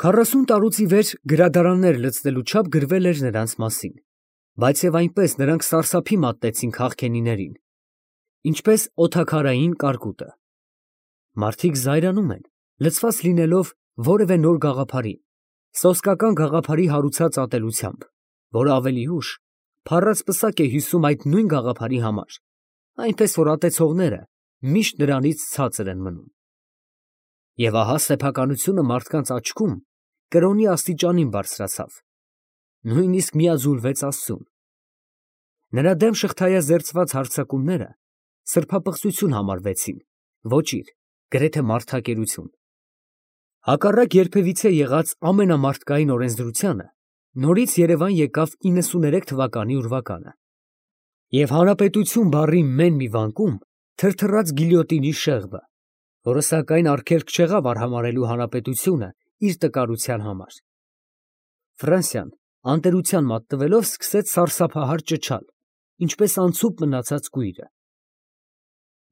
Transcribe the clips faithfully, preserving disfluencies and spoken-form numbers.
Քառասուն տարուց ի վեր գրադարաններ լցնելու չափ գրվել էր նրանց մասին, բայց և այնպես նրանք սարսափի մատնեցին քաղքենիներին, ինչպես օդաքարային կարկուտը. մարդիկ զայրանում են, լցված լինելով որևէ նոր գաղափարի, սոսկական գաղափարի հարուցած ատելությամբ, որը ավելի ուշ փառած պսակ է հյուսում այդ նույն գաղափարի համար, այնպես որ ատեցողները միշտ նրանից ցածր են մնում։ Եվ ահա սեփականությունը մարդկանց աչքում կրոնի աստիճանին բարձրացավ, նույնիսկ միաձուլվեց Աստծուն։ Նրա դեմ շղթայազերծված հարձակումները սրբապղծություն համարվեցին, ոճիր, գրեթե մարդակերություն։ Հակառակ երբևիցե եղած ամենամարդկային օրենսդրությանը նորից Երևան եկավ իննսուներեք թվականի ուրվականը, և հանրապետություն բառի մեն մի վանկում թրթռաց գիլյոտինի շեղբը, որը սակայն արգելք չեղավ արհամարհելու հանրապետությունը իր տկարության համար։ Ֆրանսիան անտերության մատնվելով սկսեց սարսափահար ճչալ, ինչպես անցուփ մնացած կույրը։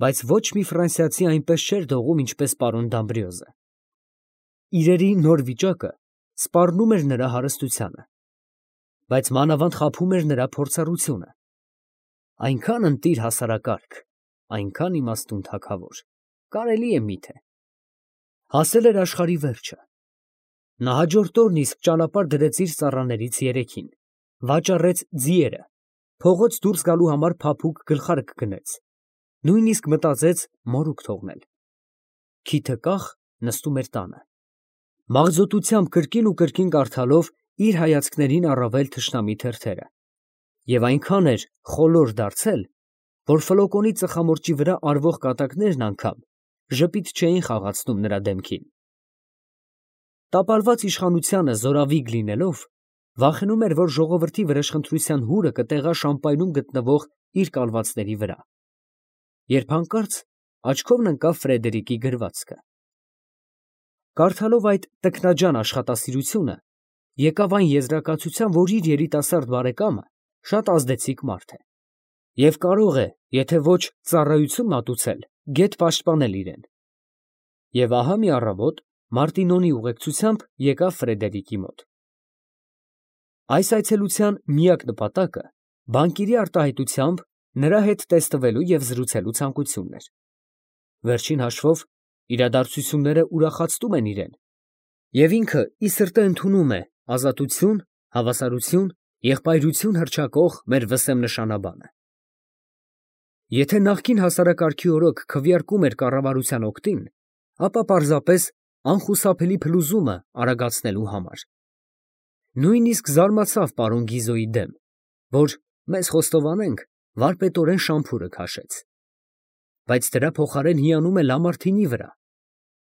Բայց ոչ մի ֆրանսիացի այնպես չէր դողում, ինչպես պարոն Դամբրիոզը։ Իրերի նոր վիճակը սպառնում էր նրա հարստությանը, բայց մանավանդ խաբում էր նրա փորձառությունը։ Այնքան ընտիր հասարակարգ, այնքան իմաստուն թագավոր, կարելի է մի՞թե։ Հասել էր աշխարհի վերջը։ Նա հաջորդ օրն իսկ ճանապարհ դրեց իր ծառաներից երեքին, վաճառեց ձիերը, փողոց դուրս գալու համար փափուկ գլխարկ գնեց, նույնիսկ մտածեց մորուք թողնել։ Քիթը կախ նստում էր տանը, մաղձոտությամբ կրկին ու կրկին կարդալով իր հայացքներին առավել թշնամի թերթերը, և այնքան էր խոլոր դարձել, որ ֆլոկոնի ծխամորճի վրա արվող կատակներն անգամ ժպիտ չէին խաղացնում նրա դեմքին։ Տապալված իշխանությանը զորավիգ լինելով, վախենում էր, որ ժողովրդի վրեժխնդրության հուրը կտեղա Շամպայնում գտնվող իր կալվածների վրա, երբ հանկարծ աչքովն ընկավ Ֆրեդերիկի գրվածքը։ Կարդալով այդ տքնաջան աշխատասիրությունը, եկավ այն եզրակացության, որ իր երիտասարդ բարեկամը շատ ազդեցիկ մարդ է, և կարող է, եթե ոչ ծառայություն մատուցել, գեթ պաշտպանել իրեն։ Եվ ահա մի առավոտ Մարտինոնի ուղեկցությամբ եկավ Ֆրեդերիկի մոտ։ Այս այցելության միակ նպատակը բանկիրի արտահայտությամբ նրա հետ տեսնվելու և զրուցելու ցանկությունն էր։ Վերջին հաշվով իրադարձությունները ուրախացնում են իրեն, և ինքը ի սրտե ընդունում է ազատություն, հավասարություն, եղբայրություն հռչակող մեր վսեմ նշանաբանը։ Եթե նախկին հասարակարգի օրոք քվեարկում էր կառավարության օգտին, ապա պարզապես անխուսափելի փլուզումը արագացնելու համար։ Նույնիսկ զարմացավ պարոն Գիզոյի դեմ, որ, մեզ խոստովանենք, վարպետորեն շամփուրը քաշեց, բայց դրա փոխարեն հիանում է Լամարթինի վրա,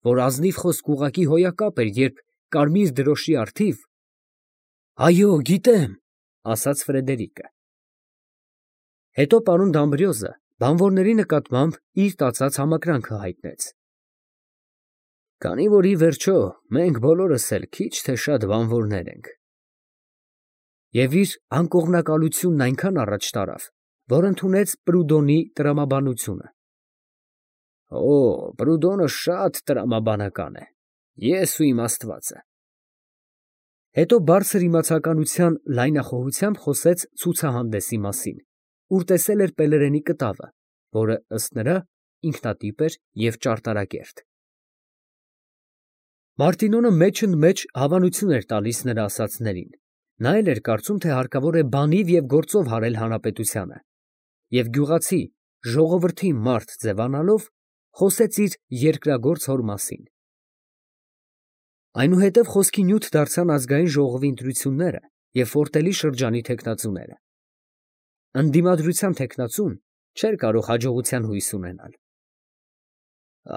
որ ազնիվ խոսք ուղղակի հոյակապ էր, երբ կարմիր դրոշի առթիվ… Այո, գիտեմ, ասաց Ֆրեդերիկը։ Հետո պարոն Դամբրիոզը բանվորների նկատմամբ իր տածած համակրանքը հայտնեց։ Քանի որ ի վերջո մենք բոլորս էլ քիչ թե շատ բանվորներ ենք։ Եվ իր անկողմնակալությունն այնքան առաջ տարավ, որ ընդունեց Պրուդոնի տրամաբանությունը։ Օ, Պրուդոնը շատ տրամաբանական է, ես ու իմ Աստվածը։ Հետո բարձր իմացականության լայնախոհությամբ խոսեց ցուցահանդեսի մասին, ուր տեսել էր Պելերենի կտավը, որը, ըստ նրա, ինքնատիպ էր և ճարտարակերտ։ Մարտինոնը մեջընդմեջ հավանություն էր տալիս նրա ասածներին, նա էլ էր կարծում, թե հարկավոր է բանիվ և գործով հարել հանրապետությանը, և գյուղացի, ժողովրդի մարդ ձևանալով, խոսեց իր երկրագործ հոր մասին։ Այնուհետև խոսքի նյութ դարձան ազգային ժողովի ընտրությունները և Ֆորտելի շրջանի թեկնածուները։ Ընդդիմադրության թեկնածուն չէր կարող հաջողության հույս ունենալ։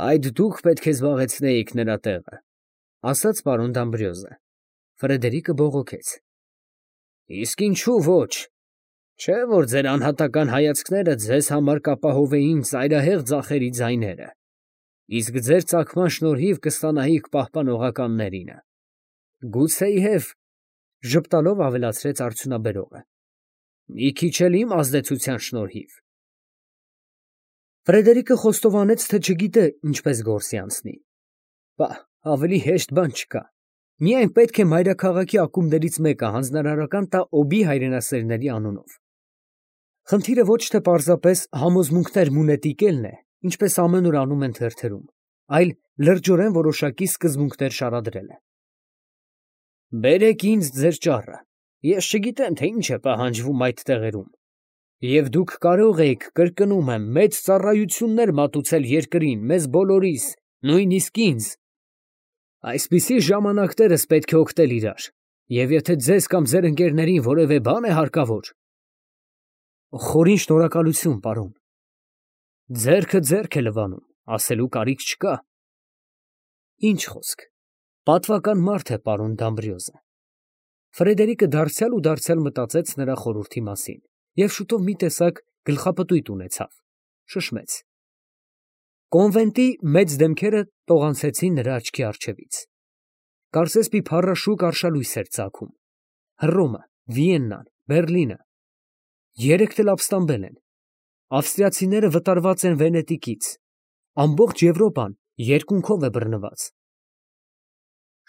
Այդ դուք պետք է զբաղեցնեիք նրա տեղը, ասաց պարոն Դամբրիոզը։ Ֆրեդերիկը բողոքեց. Իսկ ինչու ոչ, չէ՞ որ ձեր անհատական հայացքները ձեզ համար կապահովեին ծայրահեղ ձախերի ձայները, իսկ ձեր ծագման շնորհիվ կստանայիք պահպանողականներինը։ Գուցեև, ժպտալով ավելացրեց արդյունաբերողը, մի քիչ էլ իմ ազդեցության շնորհիվ։ Ֆրեդերիկը խոստովանեց, թե չգիտե ինչպես գործի անցնի։ Պահ, ավելի հեշտ բան չկա։ Միայն պետք է մայրաքաղաքի ակումբներից մեկը հանձնարարական տա օբի հայրենասերների անունով։ Խնդիրը ոչ թե պարզապես համոզմունքներ մունետիկելն է, ինչպես ամենուր անում են թերթերում, այլ լրջորեն որոշակի սկզբունքներ շարադրելը։ Բերեք ինձ ձեր ճառը, ես չգիտեմ, թե ինչ է պահանջվում այդ տեղերում, և դուք կարող եք, կրկնում եմ, մեծ ծառայություններ մատուցել երկրին, մեզ բոլորիս, նույնիսկ ինձ։ Այսպիսի ժամանակներս պետք է օգտել իրար, և եթե ձեզ կամ ձեր ընկերներին որևէ բան է հարկավոր… Խորին շնորհակալություն, պարոն։ Ձեռքը ձեռք է լվանում, ասելու կարիք չկա։ Ինչ խոսք, պատվական մարդ է պարոն Դամբրիոզը։ Ֆրեդերիկը դարձյալ ու դարձյալ մտածեց նրա խորհրդի մասին և շուտով մի տեսակ գլխապտույտ ունեցավ, շշմեց։ Կոնվենտի մեծ դեմքերը տողանցեցին նրա աչքի առջևից։ Կարծես մի փառաշուկ արշալույս էր ծագում։ Հռոմը, Վիեննան, Բերլինը… Երեքդ էլ ապստամբել են։ Ավստրիացիները վտարված են Վենետիկից։ Ամբողջ Եվրոպան երկունքով է բռնված։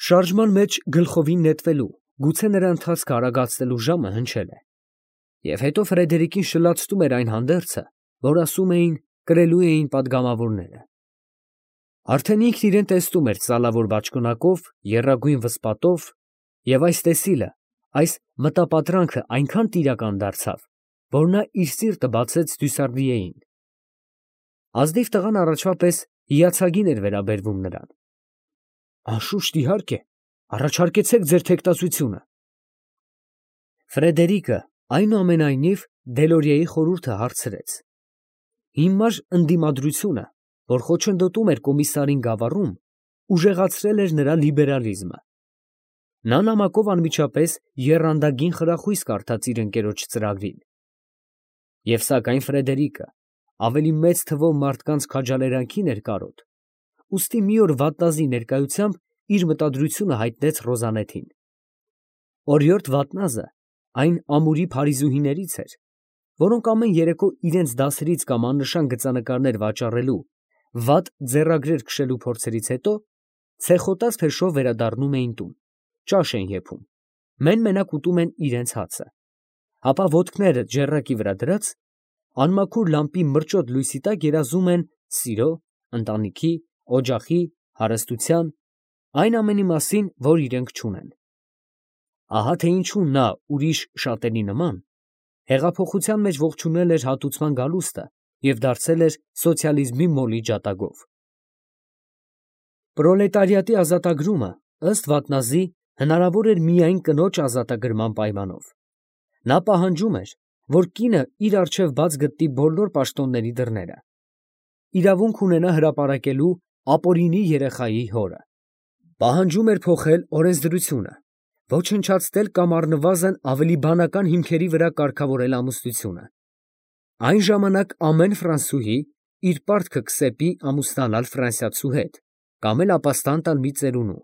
Շարժման մեջ գլխովին նետվելու, գուցե նրա ընթացքը արագացնելու ժամը հնչել է։ Եվ հետո Ֆրեդերիկին շլացնում էր այն հանդերձը, որ ասում էին, կրելու էին պատգամավորները։ Արդեն ինքն իրեն տեսնում էր ծալավոր բաճկոնակով, եռագույն վսպատով, և այս տեսիլը, այս մտապատրանքը այնքան տիրական դարձավ, որ նա իր սիրտը բացեց Դյուսարդիեին։ Ազնիվ տղան առաջվա պես հիացագին էր վերաբերվում նրան։ Անշուշտ, իհարկե, առաջարկեցեք ձեր թեկտածությունը։ Ֆրեդերիկը այնուամենայնիվ Դելորիեի խորհուրդը հարցրեց։ Հիմար ընդդիմադրությունը, որ խոչընդոտում էր կոմիսարին գավառում, ուժեղացրել էր նրա լիբերալիզմը։ Նա նամակով անմիջապես եռանդագին խրախույս կարդաց իր ընկերոջ ծրագրին։ Եվ սակայն Ֆրեդերիկը ավելի մեծ թվով մարդկանց քաջալերանքին էր կարոտ, ուստի մի օր վատնազի ներկայությամբ իր մտադրությունը հայտնեց Ռոզանետին։ Օրիորդ Վատնազը այն ամուրի փարիզուհիներից էր, որոնք ամեն երեկո իրենց դասերից կամ աննշան գծանկարներ վաճառելու, վատ ձեռագրեր քշելու փորձերից հետո ցեխոտած փեշով վերադառնում էին տուն, ճաշ են եփում, մեն֊մենակ ուտում են իրենց հացը, ապա ոտքները ջեռակի վրա դրած, անմաքուր լամպի մրճոտ լույսի տակ երազում են սիրո, ընտանիքի, օջախի, հարստության, այն ամենի մասին, որ իրենք չունեն։ Ահա թե ինչու նա ուրիշ շատերի նման հեղափոխության մեջ ողջունել էր հատուցման գալուստը և դարձել էր սոցիալիզմի մոլի ջատագով։ Պրոլետարիատի ազատագրումը, ըստ Վատնազի, հնարավոր էր միայն կնոջ ազատագրման պայմանով։ Նա պահանջում էր, որ կինը իր առջև բաց գտնի բոլոր պաշտոնների դռները, իրավունք ունենա հրապարակելու ապօրինի երեխայի հորը։ Պահանջում էր փոխել օրենսդրությունը, ոչնչացնել կամ առնվազն ավելի բանական հիմքերի վրա կարգավորել ամուսնությունը։ Այն ժամանակ ամեն ֆրանսուհի իր պարտքը կսեպի ամուսնանալ ֆրանսիացու հետ կամ էլ ապաստան տալ մի ծերունու։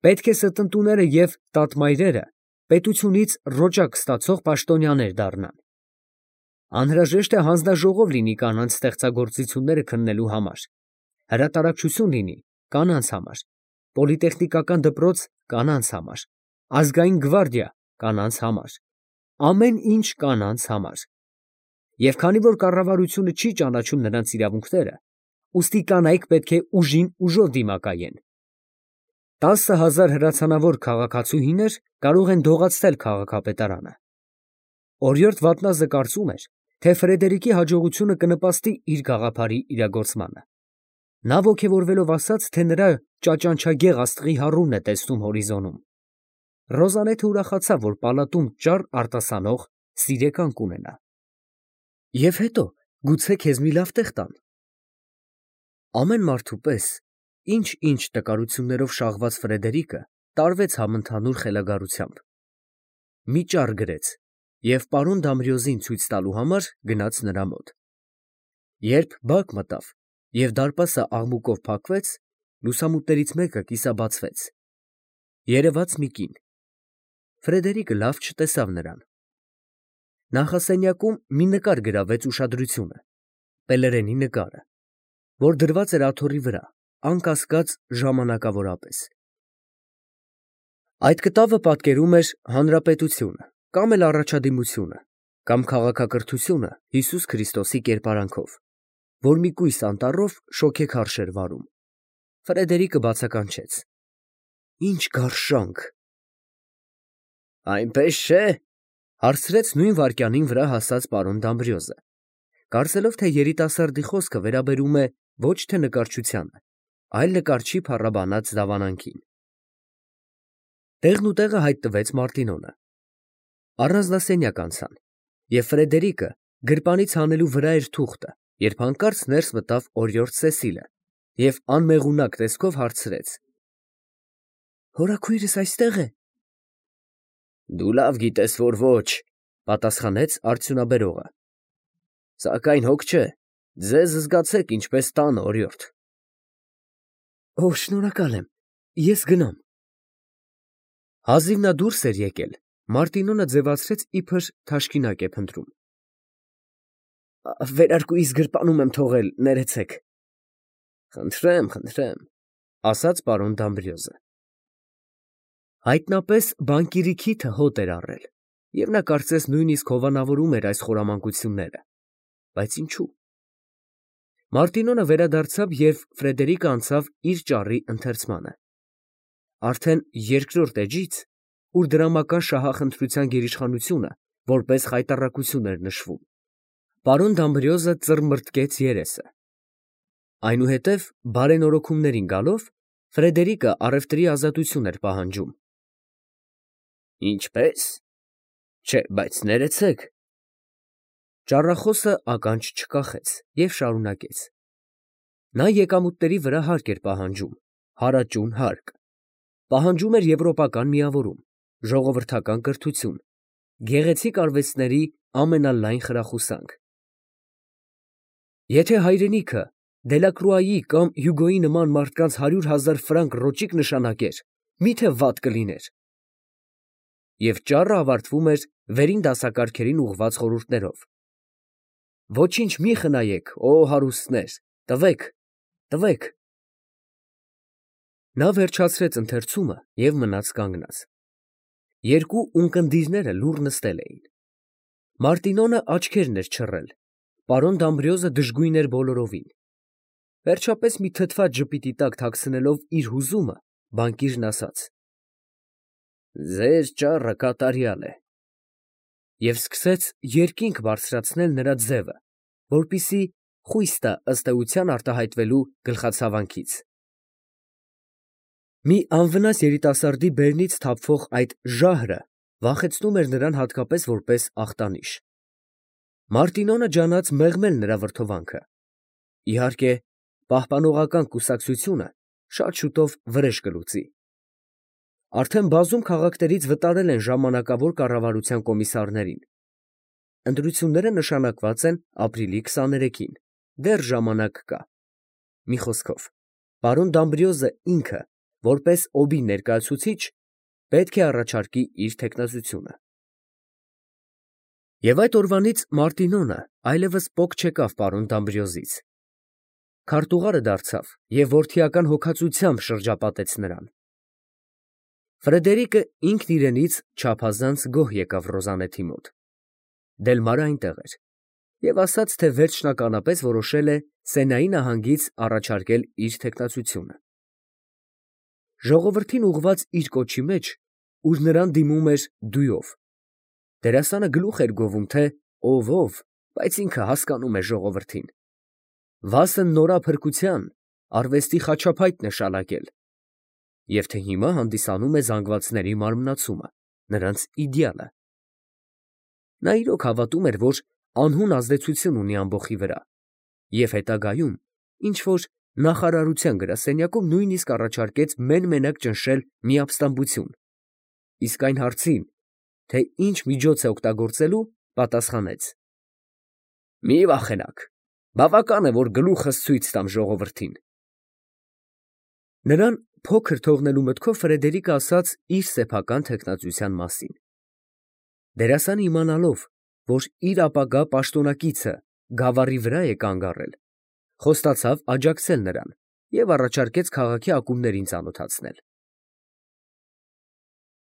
Պետք է ստնտուները և տատմայրերը պետությունից ռոճակ ստացող պաշտոնյաներ դառնան։ Անհրաժեշտ է հանձնաժողով լինի կանանց ստեղծագործությունները քննելու համար, հրատարակչություն լինի կանանց համար, պոլիտեխնիկական դպրոց կանանց համար, ազգային գվարդիա կանանց համար, ամեն ինչ կանանց համար։ Եվ քանի որ կառավարությունը չի ճանաչում նրանց իրավունքները, ուստի կանայք պետք է ուժին ուժով դիմակայեն։ Տասը հազար հրացանավոր քաղաքացուհիներ կարող են դողացնել քաղաքապետարանը։ Օրիորդ Վատնազը կարծում էր, թե Ֆրեդերիկի հաջողությունը կնպաստի իր գաղափարի իրագործմանը։ Նա ոգևորվելով ասաց, թե նրա ճաճանչագեղ աստղի հառումն է տեսնում հորիզոնում։ Ռոզանեթը ուրախացավ, որ պալատում ճար արտասանող սիրեկան կունենա։ Եվ հետո, գուցե քեզ մի լավ տեղ տան։ Ամեն մարդու պես, ինչ֊ինչ տկարություններով շաղված Ֆրեդերիկը տարվեց համընդհանուր խելագարությամբ։ Մի ճառ գրեց և պարոն Դամբրիոզին ցույց տալու համար գնաց նրա մոտ։ Երբ բակ մտավ և դարպասը աղմուկով փակվեց, լուսամուտներից մեկը կիսաբացվեց։ Երևաց մի կին։ Ֆրեդերիկը լավ չտեսավ նրան։ Նախասենյակում մի նկար գրավեց ուշադրությունը, Պելերենի նկարը, որ դրված էր աթոռի վրա, անկասկած ժամանակավորապես։ Այդ կտավը պատկերում էր հանրապետությունը կամ էլ առաջադիմությունը կամ քաղաքակրթությունը Հիսուս Քրիստոսի կերպարանքով, որ մի կույս անտառով շոգեքարշ էր վարում։ Ֆրեդերիկը բացականչեց. Ինչ գարշանք։ Այնպես չէ, հարցրեց նույն վայրկյանին վրա հասած պարոն Դամբրիոզը, կարծելով, թե երիտասարդի խոսքը վերաբերում է ոչ թե նկարչությանը, այլ նկարչի փառաբանած դավանանքին։ Տեղն ու տեղը հայտնվեց Մարտինոնը։ Առանձնասենյակ անցան, և Ֆրեդերիկը գրպանից հանելու վրա էր թուղթը, երբ հանկարծ ներս մտավ օրիորդ Սեսիլը և անմեղունակ տեսքով հարցրեց. Հորաքույրս այստե՞ղ է։ Դու լավ գիտես, որ ոչ, պատասխանեց արդյունաբերողը։ Սակայն հոգ չէ, ձեզ զգացեք ինչպես տանը, օրիորդ։ Օ, շնորհակալ եմ, ես գնամ։ Հազիվ նա դուրս էր եկել, Մարտինոնը ձևացրեց իբր թաշկինակ է փնտրում։ Վերարկուիս գրպանում եմ թողել, ներեցեք։ Խնդրեմ, խնդրեմ, ասաց պարոն Դամբրիոզը։ Հայտնապես բանկիրի քիթը հոտ էր առել, և նա կարծես նույնիսկ հովանավորում էր այս խորամանկությունները, բայց ինչու։ Մարտինոնը վերադարձավ, և Ֆրեդերիկը անցավ իր ճառի ընթերցմանը։ Արդեն երկրորդ էջից, ուր դրամական շահախնդրության գերիշխանությունը որպես խայտառակություն էր նշվում, պարոն Դամբրիոզը ծռմռթկեց երեսը։ Այնուհետև բարենորոգումներին գալով, Ֆրեդերիկը առևտրի ազատություն էր պահանջում։ Ինչպե՞ս։ Չէ, բայց ներեցեք։ Ճառախոսը ականջ չկախեց և շարունակեց. Նա եկամուտների վրա հարկ էր պահանջում, հարաճուն հարկ, պահանջում էր եվրոպական միավորում, ժողովրդական կրթություն, գեղեցիկ արվեստների ամենալայն խրախուսանք։ Եթե հայրենիքը Դելակրուայի կամ Հյուգոյի նման մարդկանց հարյուր հազար ֆրանկ ռոճիկ նշանակեր, մի՞թե վատ կլիներ։ Եվ ճառը ավարտվում էր վերին դասակարգերին ուղղված խորհուրդներով. Ոչինչ մի խնայեք, օ հարուստներ, տվեք, տվեք։ Նա վերջացրեց ընթերցումը և մնաց կանգնած։ Երկու ունկնդիրները լուռ նստել էին։ Մարտինոնը աչքերն էր չռել, պարոն Դամբրիոզը դժգույն էր բոլորովին։ Վերջապես մի թթված ժպիտի տակ թաքցնելով իր հուզումը, բանկիրն ասաց. Ձեր ճառը կատարյալ է։ Եվ սկսեց երկինք բարձրացնել նրա ձևը, որպեսզի խույս տա ըստ էության արտահայտվելու գլխացավանքից։ Մի անվնաս երիտասարդի բերնից թափվող այդ ժահրը վախեցնում էր նրան հատկապես որպես ախտանիշ։ Մարտինոնը ջանաց մեղմել նրա վրդովանքը։ Իհարկե, պահպանողական կուսակցությունը շատ շուտով վրեժ կլուծի։ Արդեն բազում քաղաքներից վտարել են ժամանակավոր կառավարության կոմիսարներին։ Ընտրությունները նշանակված են ապրիլի քսաներեքին, դեռ ժամանակ կա։ Մի խոսքով, պարոն Դամբրիոզը ինքը, որպես օբի ներկայացուցիչ, պետք է առաջարկի իր թեկնածությունը։ Եվ այդ օրվանից Մարտինոնը այլևս պոկ չեկավ պարոն Դամբրիոզից։ Քարտուղարը դարձավ և որդիական հոգածությամբ շրջապատեց նրան։ Ֆրեդերիկը ինքն իրենից չափազանց գոհ եկավ Ռոզանեթի մոտ։ Դելմարը այնտեղ էր և ասաց, թե վերջնականապես որոշել է Սենայի նահանգից առաջարկել իր թեկնածությունը։ Ժողովրդին ուղղված իր կոչի մեջ, ուր նրան դիմում էր դույով, դերասանը գլուխ էր գովում, թե ով ով, բայց ինքը հասկանում է ժողովրդին։ Վասն նորափրկության արվեստի խաչափայտն է շալակել, և թե հիմա հանդիսանում է զանգվածների մարմնացումը, նրանց իդեալը։ Նա իրոք հավատում էր, որ անհուն ազդեցություն ունի ամբոխի վրա, և հետագայում ինչ֊որ նախարարության գրասենյակում նույնիսկ առաջարկեց մեն֊մենակ ճնշել միապստամբություն, իսկ այն հարցին, թե ինչ միջոց է օգտագործելու, պատասխանեց. Մի վախենաք, բավական է, որ գլուխս ցույց տամ ժողովրդին։ Նրան փոքր թողնելու մտքով Ֆրեդերիկը ասաց իր սեփական թեկնածության մասին։ Դերասանը իմանալով, որ իր ապագա պաշտոնակիցը գավառի վրա է կանգ առել, խոստացավ աջակցել նրան և առաջարկեց քաղաքի ակումբներին ծանոթացնել։